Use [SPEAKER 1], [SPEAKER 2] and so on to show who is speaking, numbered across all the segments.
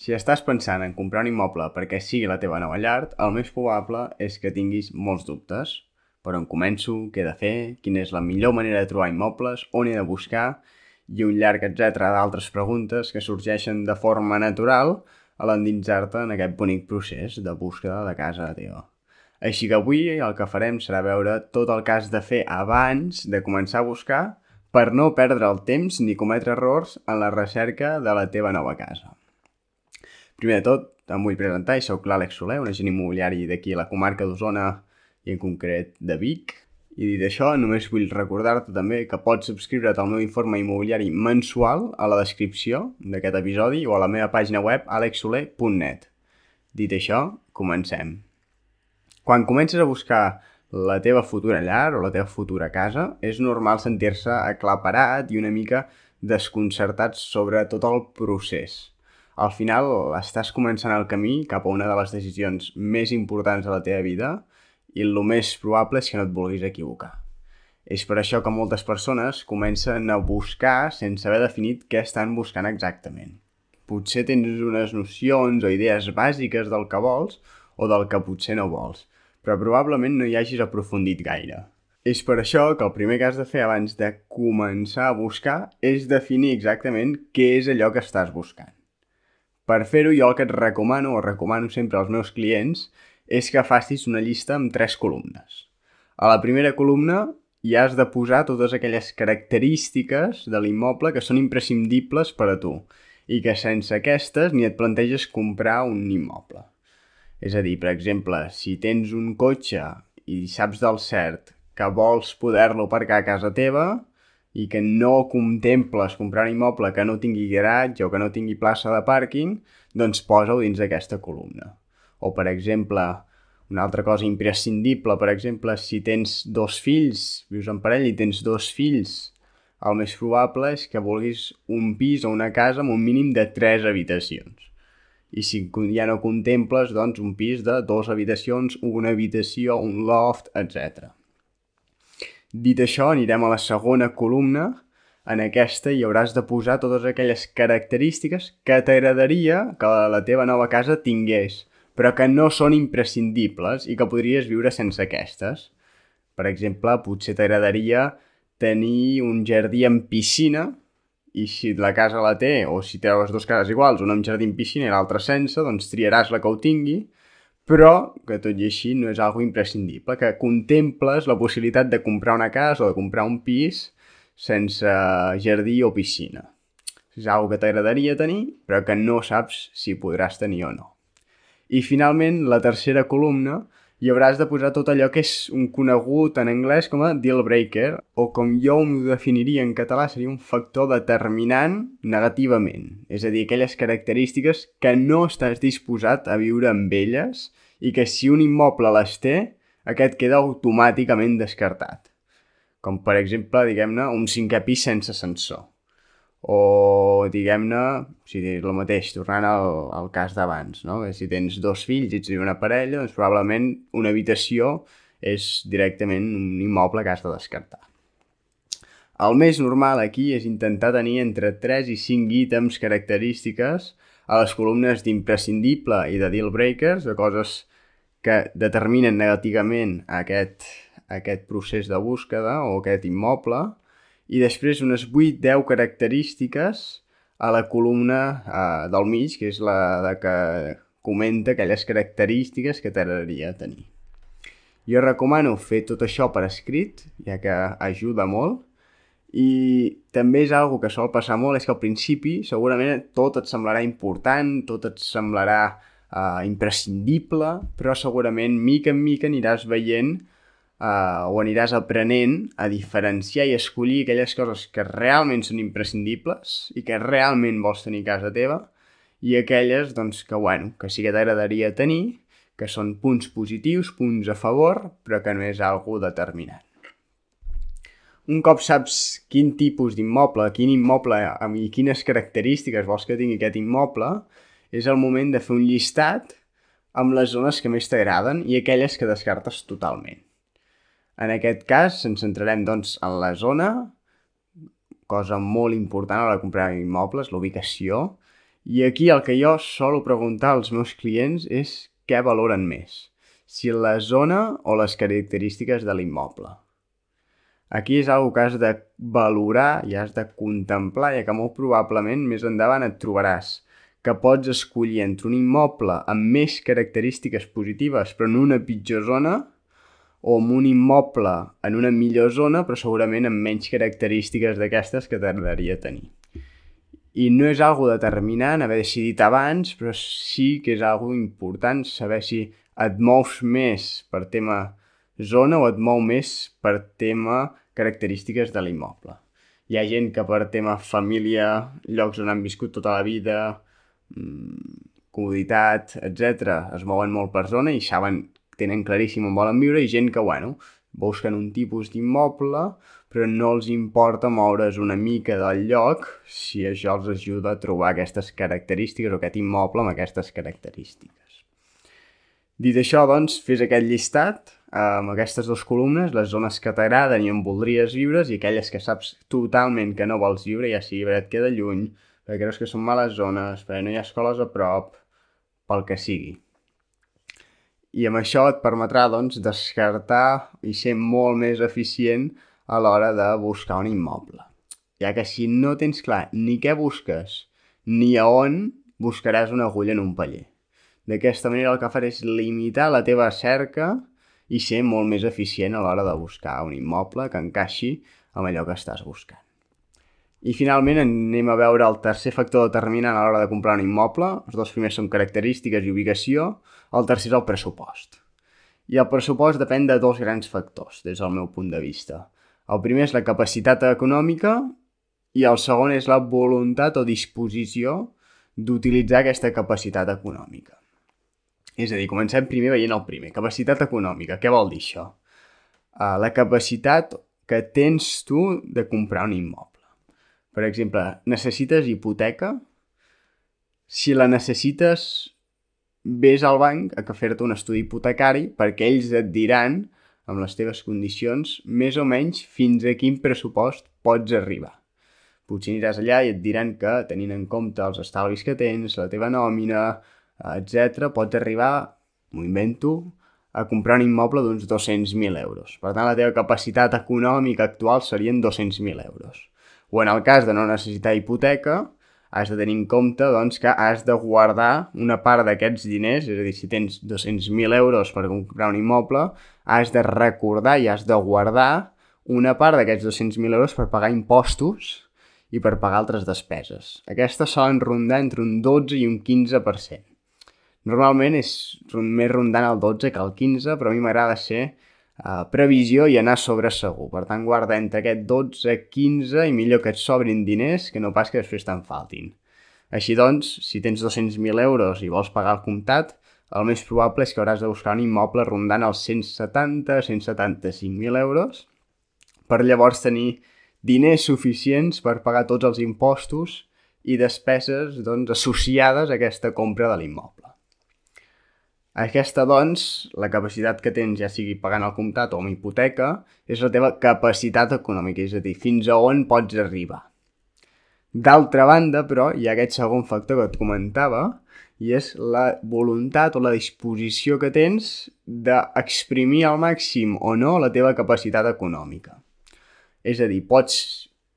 [SPEAKER 1] Si estàs pensant en comprar un immoble perquè sigui la teva nova llar, el més probable és que tinguis molts dubtes. Per on començo, què he de fer, quina és la millor manera de trobar immobles, on he de buscar, i un llarg etcètera d'altres preguntes que sorgeixen de forma natural a l'endinsar-te en aquest bonic procés de búsqueda de casa teva. Així que avui el que farem serà veure tot el que has de fer abans de començar a buscar per no perdre el temps ni cometre errors en la recerca de la teva nova casa. Primer de tot, em vull presentar i soc l'Àlex Soler, un agent immobiliari d'aquí a la comarca d'Osona i en concret de Vic. I dit això, només vull recordar-te també que pots subscriure't al meu informe immobiliari mensual a la descripció d'aquest episodi o a la meva pàgina web alexsoler.net. Dit això, comencem. Quan comences a buscar la teva futura llar o la teva futura casa, és normal sentir-se aclaparat i una mica desconcertat sobre tot el procés. Al final estàs començant el camí cap a una de les decisions més importants de la teva vida i el més probable és que no et vulguis equivocar. És per això que moltes persones comencen a buscar sense haver definit què estan buscant exactament. Potser tens unes nocions o idees bàsiques del que vols o del que potser no vols, però probablement no hi hagis aprofundit gaire. És per això que el primer que has de fer abans de començar a buscar és definir exactament què és allò que estàs buscant. Per fer-ho, jo el que et recomano, o recomano sempre als meus clients, és que facis una llista amb 3 columnes. A la primera columna hi has de posar totes aquelles característiques de l'immoble que són imprescindibles per a tu i que sense aquestes ni et planteges comprar un immoble. És a dir, per exemple, si tens un cotxe i saps del cert que vols poder-lo aparcar a casa teva i que no contemples comprar un immoble que no tingui garatge o que no tingui plaça de pàrquing, doncs posa-ho dins d'aquesta columna. O, per exemple, una altra cosa imprescindible, per exemple, si tens 2 fills, vius en parella i tens 2 fills, el més probable és que vulguis un pis o una casa amb un mínim de 3 habitacions. I si ja no contemples, doncs, un pis de 2 habitacions, una habitació, un loft, etc. Dit això, anirem a la segona columna. En aquesta hi hauràs de posar totes aquelles característiques que t'agradaria que la teva nova casa tingués, però que no són imprescindibles i que podries viure sense aquestes. Per exemple, potser t'agradaria tenir un jardí amb piscina i si la casa la té, o si té les dues cases iguals, una amb jardí amb piscina i l'altra sense, doncs triaràs la que ho tingui, però que tot i així no és algo imprescindible, que contemples la possibilitat de comprar una casa o de comprar un pis sense jardí o piscina. És algo que t'agradaria tenir, però que no saps si podràs tenir o no. I finalment, la tercera columna, hi hauràs de posar tot allò que és un conegut en anglès com a deal breaker, o com jo ho definiria en català seria un factor determinant negativament. És a dir, aquelles característiques que no estàs disposat a viure amb elles i que si un immoble les té, aquest queda automàticament descartat. Com per exemple, diguem-ne, un 5è pis sense ascensor. O, diguem-ne, el mateix, tornant al cas d'abans, no? Si tens 2 fills i ets una parella, doncs probablement una habitació és directament un immoble que has de descartar. El més normal aquí és intentar tenir entre 3 i 5 ítems característiques a les columnes d'imprescindible i de deal breakers, de coses que determinen negativament aquest procés de búsqueda o aquest immoble, i després unes 8-10 característiques a la columna del mig, que és la que comenta aquelles característiques que t'agradaria tenir. Jo recomano fer tot això per escrit, ja que ajuda molt, i també és algo que sol passar molt, és que al principi segurament tot et semblarà important, tot et semblarà imprescindible, però segurament mica en mica aniràs veient o aniràs aprenent a diferenciar i escollir aquelles coses que realment són imprescindibles i que realment vols tenir a casa teva i aquelles doncs, que sí que t'agradaria tenir, que són punts positius, punts a favor, però que no és algo determinant. Un cop saps quin tipus d'immoble, quin immoble i quines característiques vols que tingui aquest immoble, és el moment de fer un llistat amb les zones que més t'agraden i aquelles que descartes totalment. En aquest cas ens centrarem doncs, en la zona, cosa molt important a l'hora de comprar immobles, la ubicació, I aquí el que jo solo preguntar als meus clients és què valoren més, si la zona o les característiques de l'immoble. Aquí és una que has de valorar i has de contemplar, ja que molt probablement més endavant et trobaràs que pots escollir entre un immoble amb més característiques positives però en una pitjor zona o amb un immoble en una millor zona però segurament amb menys característiques d'aquestes que t'agradaria tenir. I no és algo determinant haver decidit abans, però sí que és algo important saber si et mous més per tema zona o et mou més per tema característiques de l'immoble. Hi ha gent que per tema família, llocs on han viscut tota la vida, comoditat, etc., es mouen molt per zona i saben, tenen claríssim on volen viure, i gent que, busquen un tipus d'immoble, però no els importa moure's una mica del lloc si això els ajuda a trobar aquestes característiques o aquest immoble amb aquestes característiques. Dit això, doncs, fes aquest llistat amb aquestes dues columnes, les zones que t'agraden i on voldries viure i aquelles que saps totalment que no vols viure, ja sigui perquè et queda lluny, perquè creus que són males zones, perquè no hi ha escoles a prop, pel que sigui. I amb això et permetrà, doncs, descartar i ser molt més eficient a l'hora de buscar un immoble. Ja que si no tens clar ni què busques ni a on, buscaràs una agulla en un paller. D'aquesta manera el que faràs és limitar la teva cerca i ser molt més eficient a l'hora de buscar un immoble que encaixi amb allò que estàs buscant. I finalment anem a veure el tercer factor determinant a l'hora de comprar un immoble. Els dos primers són característiques i ubicació, el tercer és el pressupost. I el pressupost depèn de dos grans factors, des del meu punt de vista. El primer és la capacitat econòmica i el segon és la voluntat o disposició d'utilitzar aquesta capacitat econòmica. És a dir, comencem primer veient el primer. Capacitat econòmica. Què vol dir això? La capacitat que tens tu de comprar un immoble. Per exemple, necessites hipoteca? Si la necessites, vés al banc a fer-te un estudi hipotecari perquè ells et diran, amb les teves condicions, més o menys fins a quin pressupost pots arribar. Potser aniràs allà i et diran que, tenint en compte els estalvis que tens, la teva nòmina, etc., pots arribar, m'ho invento, a comprar un immoble d'uns 200.000 euros. Per tant, la teva capacitat econòmica actual serien 200.000 euros. O en el cas de no necessitar hipoteca, has de tenir en compte doncs, que has de guardar una part d'aquests diners, és a dir, si tens 200.000 euros per comprar un immoble, has de recordar i has de guardar una part d'aquests 200.000 euros per pagar impostos i per pagar altres despeses. Aquestes solen rondar entre un 12 i un 15%. Normalment és més rondant el 12 que el 15, però a mi m'agrada ser previsió i anar sobre segur. Per tant, guarda entre aquest 12, 15 i millor que et sobrin diners que no pas que després te'n faltin. Així doncs, si tens 200.000 euros i vols pagar el comptat, el més probable és que hauràs de buscar un immoble rondant els 170-175.000 euros per llavors tenir diners suficients per pagar tots els impostos i despeses doncs, associades a aquesta compra de l'immoble. Aquesta, doncs, la capacitat que tens, ja sigui pagant el comptat o amb hipoteca, és la teva capacitat econòmica, és a dir, fins a on pots arribar. D'altra banda, però, hi ha aquest segon factor que et comentava, i és la voluntat o la disposició que tens d'exprimir al màxim o no la teva capacitat econòmica. És a dir,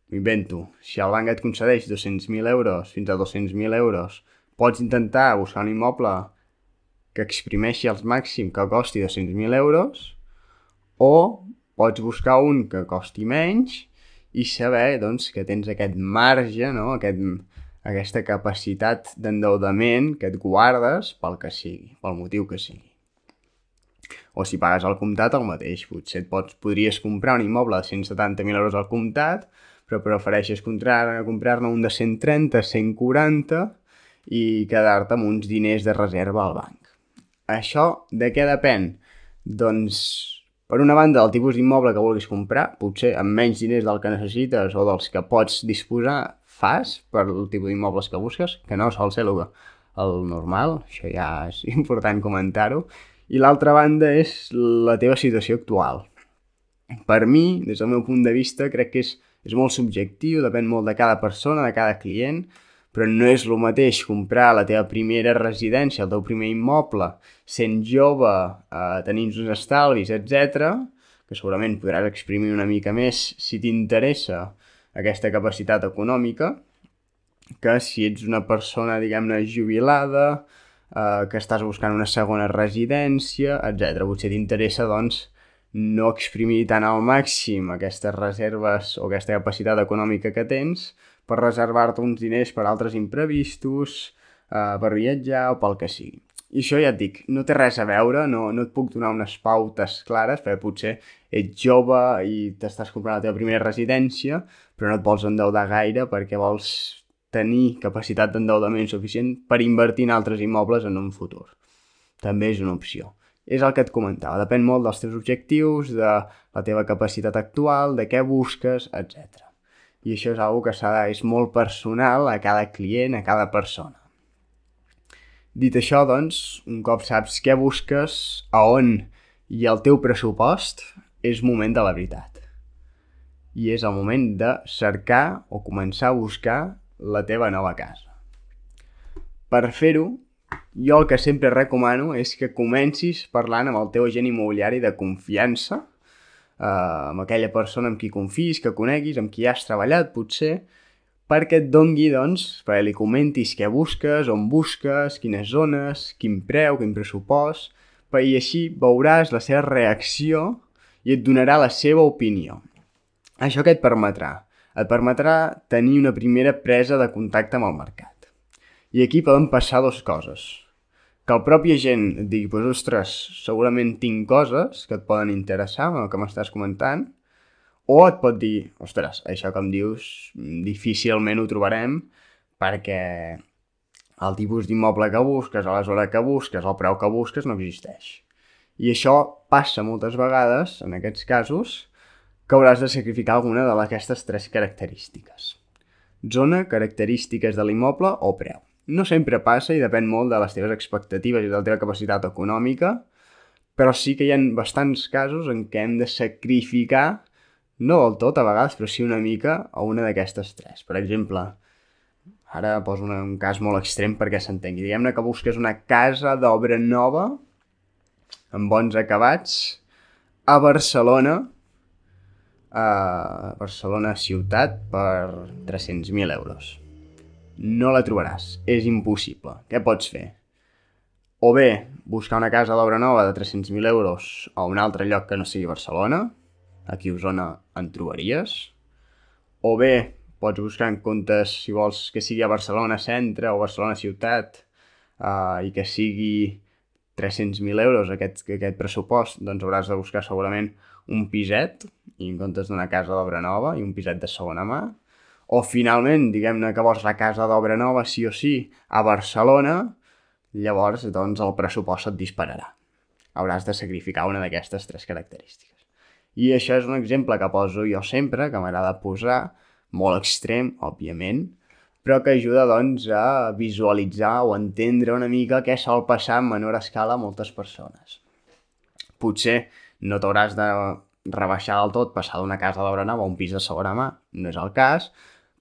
[SPEAKER 1] m'invento, si el banc et concedeix 200.000 euros fins a 200.000 euros, pots intentar buscar un immoble que exprimeixi al màxim que costi 200.000 euros o pots buscar un que costi menys i saber doncs, que tens aquest marge, no? Aquesta capacitat d'endeudament que et guardes pel que sigui, pel motiu que sigui. O si pagues al comptat el mateix, potser podries comprar un immoble de 170.000 euros al comptat, però prefereixes comprar-ne un de 130, 140 i quedar-te amb uns diners de reserva al banc. Això de què depèn? Doncs, per una banda, del tipus d'immoble que vulguis comprar, potser amb menys diners del que necessites o dels que pots disposar, fas per el tipus d'immobles que busques, que no sol ser el normal, això ja és important comentar-ho, i l'altra banda és la teva situació actual. Per mi, des del meu punt de vista, crec que és molt subjectiu, depèn molt de cada persona, de cada client, però no és el mateix comprar la teva primera residència, el teu primer immoble, sent jove, tenint uns estalvis, etc., que segurament podràs exprimir una mica més si t'interessa aquesta capacitat econòmica, que si ets una persona, diguem-ne, jubilada, que estàs buscant una segona residència, etc. Potser t'interessa, doncs, no exprimir tant al màxim aquestes reserves o aquesta capacitat econòmica que tens per reservar-te uns diners per altres imprevistos, per viatjar o pel que sigui. I això ja et dic, no té res a veure, no et puc donar unes pautes clares, perquè potser ets jove i t'estàs comprant la teva primera residència, però no et vols endeudar gaire perquè vols tenir capacitat d'endeudament suficient per invertir en altres immobles en un futur. També és una opció. És el que et comentava, depèn molt dels teus objectius, de la teva capacitat actual, de què busques, etc. I això és una cosa que és molt personal a cada client, a cada persona. Dit això, doncs, un cop saps què busques, a on i el teu pressupost, és moment de la veritat. I és el moment de cercar o començar a buscar la teva nova casa. Per fer-ho, jo el que sempre recomano és que comencis parlant amb el teu agent immobiliari de confiança, amb aquella persona amb qui confis, que coneguis, amb qui has treballat, potser, perquè et dongui, doncs, perquè li comentis què busques, on busques, quines zones, quin preu, quin pressupost, i així veuràs la seva reacció i et donarà la seva opinió. Això què et permetrà? Et permetrà tenir una primera presa de contacte amb el mercat. I aquí poden passar dues coses. Que el propi agent et digui, ostres, segurament tinc coses que et poden interessar amb el que m'estàs comentant, o et pot dir, ostres, això que em dius difícilment ho trobarem perquè el tipus d'immoble que busques, a la zona que busques, el preu que busques no existeix. I això passa moltes vegades, en aquests casos, que hauràs de sacrificar alguna d'aquestes tres característiques. Zona, característiques de l'immoble o preu. No sempre passa i depèn molt de les teves expectatives i de la teva capacitat econòmica, però sí que hi ha bastants casos en què hem de sacrificar, no del tot a vegades, però sí una mica a una d'aquestes tres. Per exemple, ara poso un cas molt extrem perquè s'entengui. Diguem-ne que busques una casa d'obra nova, amb bons acabats, a Barcelona, ciutat, per 300.000 euros. No la trobaràs, és impossible. Què pots fer? O bé, buscar una casa d'obra nova de 300.000 euros a un altre lloc que no sigui Barcelona, aquí a Osona en trobaries, o bé pots buscar en comptes, si vols que sigui a Barcelona centre o Barcelona ciutat, i que sigui 300.000 euros aquest pressupost, doncs hauràs de buscar segurament un piset, i en comptes d'una casa d'obra nova i un piset de segona mà, o finalment, diguem-ne que vols la casa d'obra nova sí o sí a Barcelona, llavors doncs el pressupost et dispararà. Hauràs de sacrificar una d'aquestes tres característiques. I això és un exemple que poso jo sempre, que m'agrada posar, molt extrem, òbviament, però que ajuda doncs a visualitzar o entendre una mica què sol passar en menor escala a moltes persones. Potser no t'hauràs de rebaixar del tot, passar d'una casa d'obra nova a un pis de segona mà, no és el cas,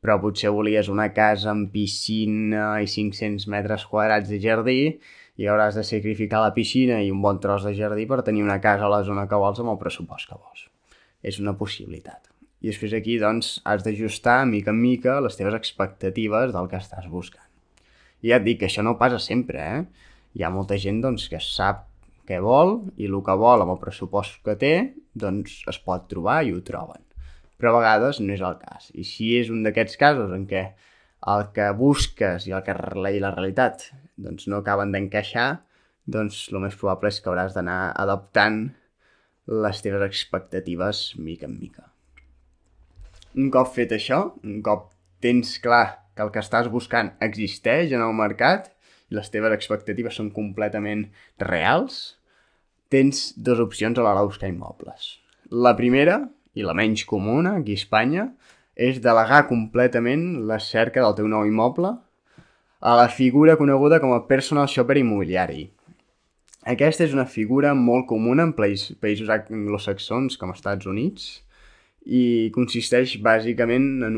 [SPEAKER 1] però potser volies una casa amb piscina i 500 metres quadrats de jardí i hauràs de sacrificar la piscina i un bon tros de jardí per tenir una casa a la zona que vols amb el pressupost que vols. És una possibilitat. I després aquí, doncs, has d'ajustar mica en mica les teves expectatives del que estàs buscant. I ja et dic que això no passa sempre, Hi ha molta gent, doncs, que sap què vol i el que vol amb el pressupost que té, doncs, es pot trobar i ho troben. Però a vegades no és el cas. I si és un d'aquests casos en què el que busques i la realitat doncs no acaben d'encaixar, doncs el més probable és que hauràs d'anar adaptant les teves expectatives mica en mica. Un cop fet això, un cop tens clar que el que estàs buscant existeix en el mercat i les teves expectatives són completament reals, tens dues opcions a l'hora de buscar immobles. La primera, i la menys comuna aquí a Espanya, és delegar completament la cerca del teu nou immoble a la figura coneguda com a personal shopper immobiliari. Aquesta és una figura molt comuna en països anglosaxons com als Estats Units i consisteix bàsicament en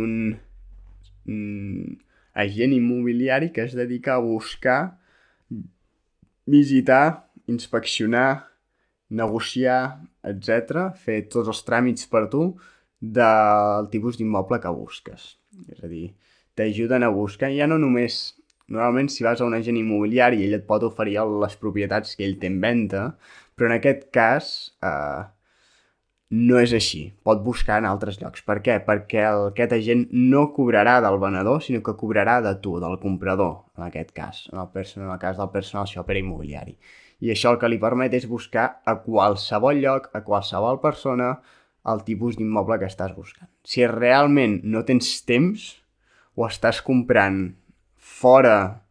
[SPEAKER 1] agent immobiliari que es dedica a buscar, visitar, inspeccionar, negociar, etc. Fer tots els tràmits per tu del tipus d'immoble que busques. És a dir, t'ajuden a buscar, ja no només... Normalment, si vas a un agent immobiliari, ell et pot oferir les propietats que ell té en venda, però en aquest cas no és així. Pot buscar en altres llocs. Per què? Perquè aquest agent no cobrarà del venedor, sinó que cobrarà de tu, del comprador, en aquest cas, en el cas del personal shopper immobiliari. I això el que li permet és buscar a qualsevol lloc, a qualsevol persona, el tipus d'immoble que estàs buscant. Si realment no tens temps o estàs comprant fora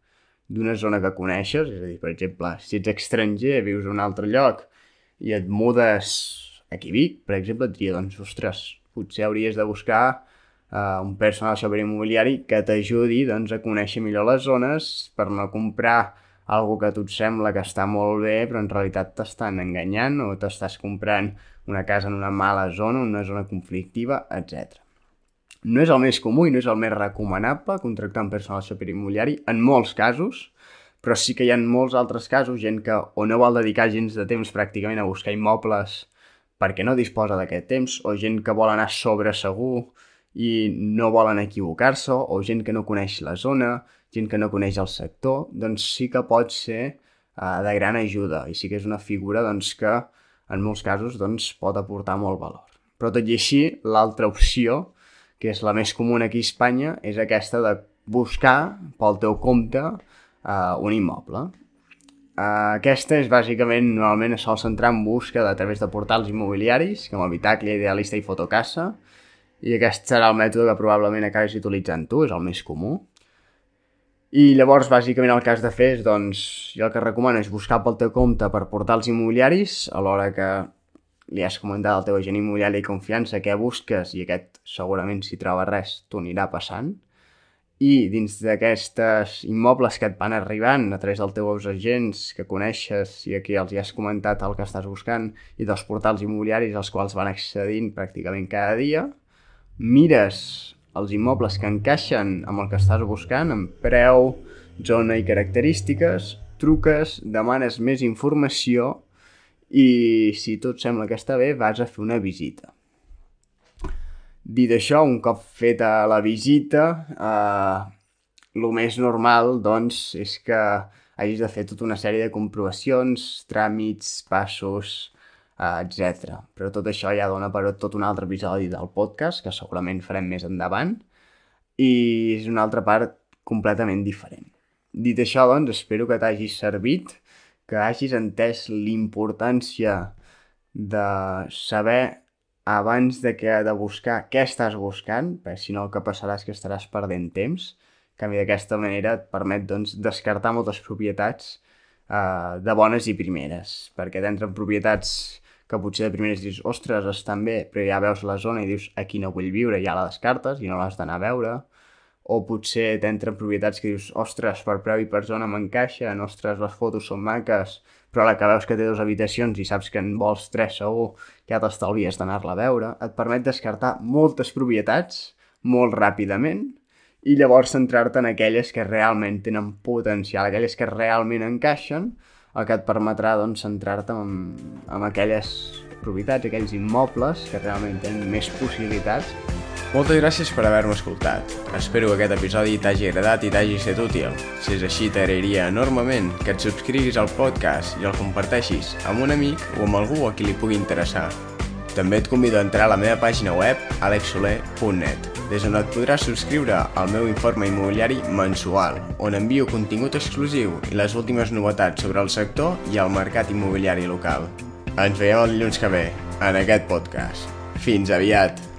[SPEAKER 1] d'una zona que coneixes, és a dir, per exemple, si ets estranger, vius a un altre lloc i et mudes aquí a Vic, per exemple, et diria, doncs, ostres, potser hauries de buscar un personal shopper immobiliari que t'ajudi doncs, a conèixer millor les zones per no comprar algo que a tu et sembla que està molt bé, però en realitat t'estan enganyant o t'estàs comprant una casa en una mala zona, una zona conflictiva, etc. No és el més comú i no és el més recomanable contractar un personal shopper immobiliari en molts casos, però sí que hi ha molts altres casos, gent que o no vol dedicar gens de temps pràcticament a buscar immobles perquè no disposa d'aquest temps, o gent que vol anar sobre segur i no volen equivocar-se, o gent que no coneix la zona, gent que no coneix el sector, doncs sí que pot ser de gran ajuda i sí que és una figura doncs, que en molts casos doncs, pot aportar molt valor. Però tot i així, l'altra opció, que és la més comuna aquí a Espanya, és aquesta de buscar pel teu compte un immoble. Aquesta és bàsicament, normalment es sol centrar en búsqueda a través de portals immobiliaris, com Habitacle, Idealista i Fotocasa, i aquest serà el mètode que probablement acabis utilitzant tu, és el més comú. I llavors, bàsicament, el que has de fer és, doncs, jo el que recomano és buscar pel teu compte per portals immobiliaris, a l'hora que li has comentat al teu agent immobiliari de confiança què busques i aquest segurament si troba res t'ho anirà passant, i dins d'aquestes immobles que et van arribant a través dels teus agents que coneixes i aquí els hi has comentat el que estàs buscant i dels portals immobiliaris als quals van accedint pràcticament cada dia, mires els immobles que encaixen amb el que estàs buscant, amb preu, zona i característiques, truques, demanes més informació i si tot sembla que està bé, vas a fer una visita. Dit això, un cop feta la visita, el més normal doncs, és que hagis de fer tota una sèrie de comprovacions, tràmits, passos, etc. Però tot això ja dona per tot un altre episodi del podcast, que segurament farem més endavant, i és una altra part completament diferent. Dit això, doncs, espero que t'hagi servit, que hagis entès l'importància de saber abans de buscar què estàs buscant, perquè si no el que passarà és que estaràs perdent temps. En canvi, d'aquesta manera et permet doncs, descartar moltes propietats de bones i primeres, perquè t'entren propietats que potser de primeres dius, ostres, estan bé, però ja veus la zona i dius, aquí no vull viure, ja la descartes i no l'has d'anar a veure. O potser t'entren propietats que dius, ostres, per preu i per zona m'encaixen, ostres, les fotos són maques, però a la que veus que té 2 habitacions i saps que en vols 3 segur, ja t'estalvies d'anar-la a veure. Et permet descartar moltes propietats molt ràpidament i llavors centrar-te en aquelles que realment tenen potencial, aquelles que realment encaixen, el que et permetrà doncs, centrar-te en aquelles propietats, aquells immobles que realment tenen més possibilitats.
[SPEAKER 2] Moltes gràcies per haver-me escoltat. Espero que aquest episodi t'hagi agradat i t'hagi estat útil. Si és així, t'agrairia enormement que et subscriguis al podcast i el comparteixis amb un amic o amb algú a qui li pugui interessar. També et convido a entrar a la meva pàgina web alexsoler.net, des on et podràs subscriure al meu informe immobiliari mensual, on envio contingut exclusiu i les últimes novetats sobre el sector i el mercat immobiliari local. Ens veiem el dilluns que ve, en aquest podcast. Fins aviat!